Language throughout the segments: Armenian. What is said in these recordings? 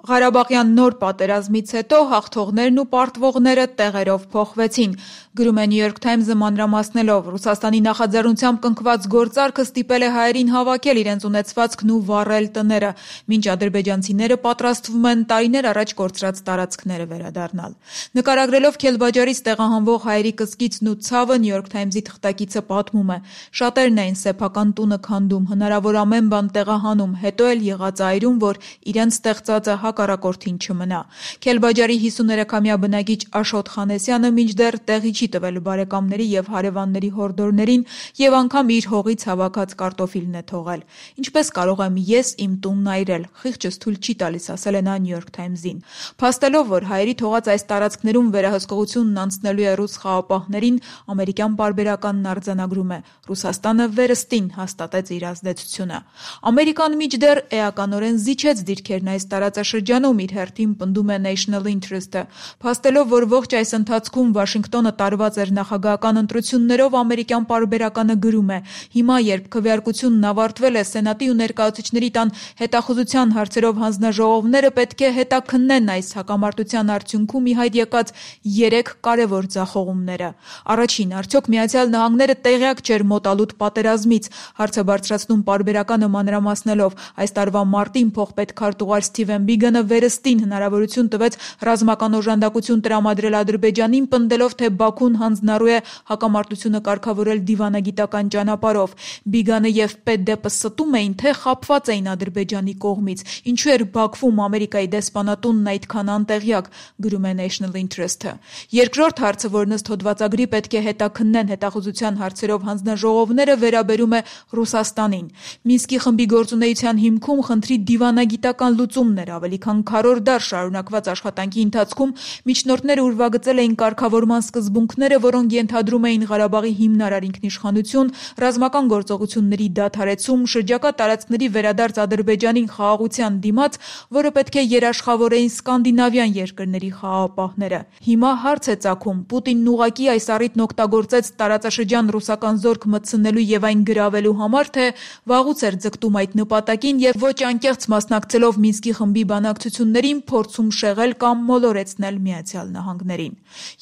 Ղարաբաղյան նոր պատերազմից հետո հաղթողներն ու պարտվողները տեղերով փոխվեցին, գրում է New York Times-ը մանրամասնելով. Ռուսաստանի նախաձեռնությամբ կնքված գործարքը ստիպել է հայերին հավաքել իրենց ունեցվածքն ու վառել տները, մինչ ադրբեջանցիները պատրաստվում են տարիներ առաջ կորցրած տարածքները վերադառնալ։ Նկարագրելով Քելբաջարից տեղահանվող հայերի կսկիցն ու ցավը, New York Times-ի թղթակիցը պատմում է. շատերն էին սեփական տունը քանդում, հնարավոր ամեն բան տեղահանում, հետո էլ եղած այրում, որ իրենց ստեղծածը հակառակորդին չմնա։ Քելբաջարի 53-ամյա բնակիչ Աշոտ Խանեսյանը մինչդեռ տեղի չի տվել բարեկամների եւ հարևանների հորդորներին եւ անգամ իր հողից հավաքած կարտոֆիլն է թողել։ Ինչպես կարող եմ ես իմ տունն այրել, խիղճս թույլ չի տալիս, ասել է նա New York Times-ին։ Փաստելով, որ հայերի թողած այս տարածքներում վերահսկողությունն անցնելու է ռուս խաղապահներին, ամերիկյան պարբերականն արձանագրում է. Ռուսաստանը վերստին հաստատեց իր ազդեցությունը։ Ամերիկան մինչդեռ էականորեն զիջեց դիրքերն այս տարածաշրջանում, իր հերթին պնդում է National Interest-ը, փաստելով, որ ողջ այս ընթացքում Վաշինգտոնը տարված էր նախագահական ընտրություններով, ամերիկյան պարբերականը գրում է. հիմա, երբ քվեարկությունն ավարտվել է, Սենատի ու ներկայացուցիչների տան հետախուզության հարցերով հանձնաժողովները պետք է հետաքննեն այս հակամարտության արդյունքում ի հայտ եկած 3 կարևոր ձախողումները։ Առաջին, արդյոք Միացյալ Նահանգները տեղյակ չէր մոտալուտ պատերազմից, հարցը բարձրացնում պարբերականը մանրամասնելով. այս տարվա մարտին փոխպետ քարտուղար Սթիվեն Բիգանը վերստին հնարավորություն տվեց ռազմական օժանդակություն տրամադրել Ադրբեջանին, պնդելով, թե Բաքուն հանձնառու է հակամարտությունը կարգավորել դիվանագիտական ճանապարհով։ Բիգանը եւ Պետդեպը ստում էին, թե խաբված էին Ադրբեջանի կողմից, ինչու էր Բաքվում Ամերիկայի դեսպանատունն այդքան անտեղյակ, գրում է National Interest-ը։ Երկրորդ հարցը, որն ըստ հոդվածագրի պետք է հետաքննեն հետախուզության հարցերով հանձնաժողովները, վերաբերում է Ռուսաստանին։ Մինսկի խմբի գործունեության հիմքում խնդրի դիվանագիտական լուծումն էր, ավելի քան քառորդ դար շարունակված աշխատանքի ընթացքում միջնորդները ուրվագծել էին կարգավորման սկզբունքները, որոնք ենթադրում էին Ղարաբաղի հիմնարար ինքնիշխանություն, ռազմական գործողությունների դադարեցում, շրջակա տարածքների վերադարձ Ադրբեջանին խաղաղության դիմաց, որը պետք է երաշխավորեին սկանդինավյան երկրների խաղաղապահները։ Հիմա հարց է ծագում. Պուտինն ուղղակի այս առիթն օգտագործեց տարածաշրջան ռուսական զորք մտցնելու եւ այն գրավելու համար, թե վաղուց էր ձգտում այդ նպատակին եւ ոչ անկեղծ մասնակցելով Մինսկի խմբի բանակցություններին, փորձում շեղել կամ մոլորեցնել Միացյալ Նահանգներին։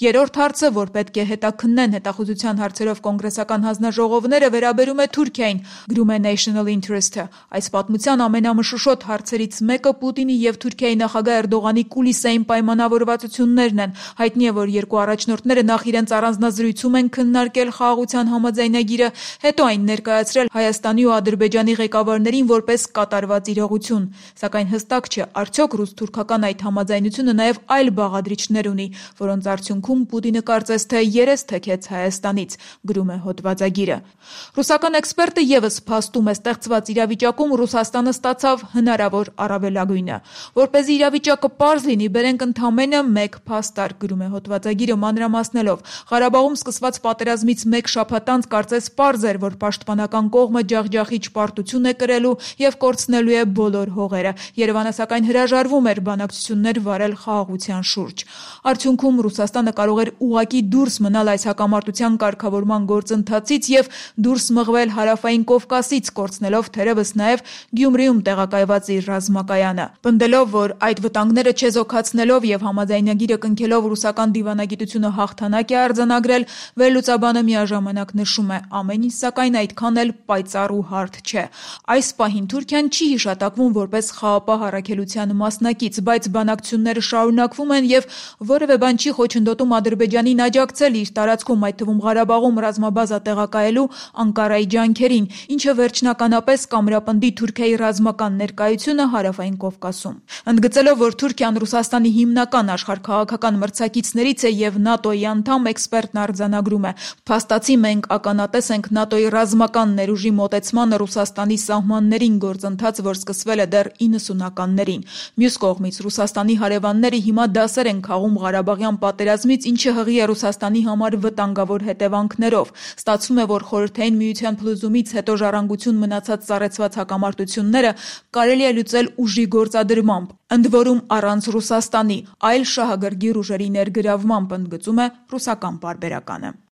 Երրորդ հարցը, որ պետք է հետաքննեն հետախուզության հարցերով կոնգրեսական հանձնաժողովները, վերաբերում է Թուրքիային, գրում է National Interest-ը։ Այս պատմության ամենամշուշոտ հարցերից մեկը Պուտինի եւ Թուրքիայի նախագահ Էրդողանի կուլիսային պայմանավորվածություններն են։ Հայտնի է, որ երկու առաջնորդները նախ իրենց առանձնազրույցում են քննարկել խաղաղության համաձայնագիրը, հետո այն ներկայացրել Հայաստանի ու Ադրբեջանի ղեկավարներին որպես կատարված իրողություն։ Սակայն հստակ չէ, արդյոք ռուս-թուրքական այդ համաձայնությունը նաև այլ բաղադրիչներ ունի, որոնց արդյունքում Պուտինը կարծես թե երես թեքեց Հայաստանից, գրում է հոդվածագիրը։ Ռուսական էքսպերտը եւս փաստում է, ստեղծված իրավիճակում Ռուսաստանը ստացավ հնարավոր առավելագույնը։ Որպեսզի իրավիճակը պարզ լինի, բերենք ընդամենը մեկ փաստարկ, գրում է հոդվածագիրը մանրամասնելով. Ղարաբաղում սկսված պատերազմից մեկ շաբաթ անց կարծես պարզ էր, որ պաշտպանական կողմը ջախջախիչ պարտություն է կրելու եւ կորցնելու է բոլոր հողերը։ Երևանը սակայն հրաժարվում էր բանակցություններ վարել խաղաղության շուրջ։ Արդյունքում Ռուսաստանը կարող էր ուղղակի դուրս մնալ այս հակամարտության կարգավորման գործընթացից եւ դուրս մղվել հարավային Կովկասից, կորցնելով թերևս նաեւ Գյումրիում տեղակայված իր ռազմակայանը։ Պնդելով, որ այդ վտանգները չեզոքացնելով եւ համաձայնագիրը կնքելով ռուսական դիվանագիտությունը հաղթանակ է արձանագրել, վերլուծաբանը միաժամանակ նշում է. ամեն ինչ սակայն այդքան էլ պայծառ ու հարթ չէ։ Այս պահին Թուրքիան չի հիշատակվում որպես խաղաղապահ առաքելության մասնակից, բայց բանակցությունները շարունակվում են եւ որևէ բան չի խոչընդոտում Ադրբեջանին աջակցել իր տարածքում, այդ թվում Ղարաբաղում ռազմաբազա տեղակայելու Անկարայի ջանքերին, ինչը վերջնականապես կամրապնդի Թուրքիայի ռազմական ներկայությունը հարավային Կովկասում։ Ընդգծելով, որ Թուրքիան Ռուսաստանի հիմնական աշխարհքաղաքական մրցակիցներից է եւ ՆԱՏՕ-ի անդամ, էքսպերտն արձանագրում է. փաստացի մենք ականատես ենք ՆԱՏՕ-ի ռազմական ներուժի մոտեցմանը Ռուսաստանի սահմաններին, գործընթաց, որ սկսվել է դեռ 90-ականներին։ Մյուս կողմից Ռուսաստանի հարևանները հիմա դասեր են քաղում Ղարաբաղյան պատերազմից, ինչը հղի է Ռուսաստանի համար վտանգավոր հետևանքներով։ Ստացվում է, որ Խորհրդային Միության փլուզումից հետո ժառանգություն մնացած սառեցված հակամարտությունները կարելի է լուծել ուժի գործադրմամբ, ընդ որում առանց Ռուսաստանի, այլ շահագրգիռ ուժերի ներգրավմամբ, ընդգծում է ռուսական պարբերականը։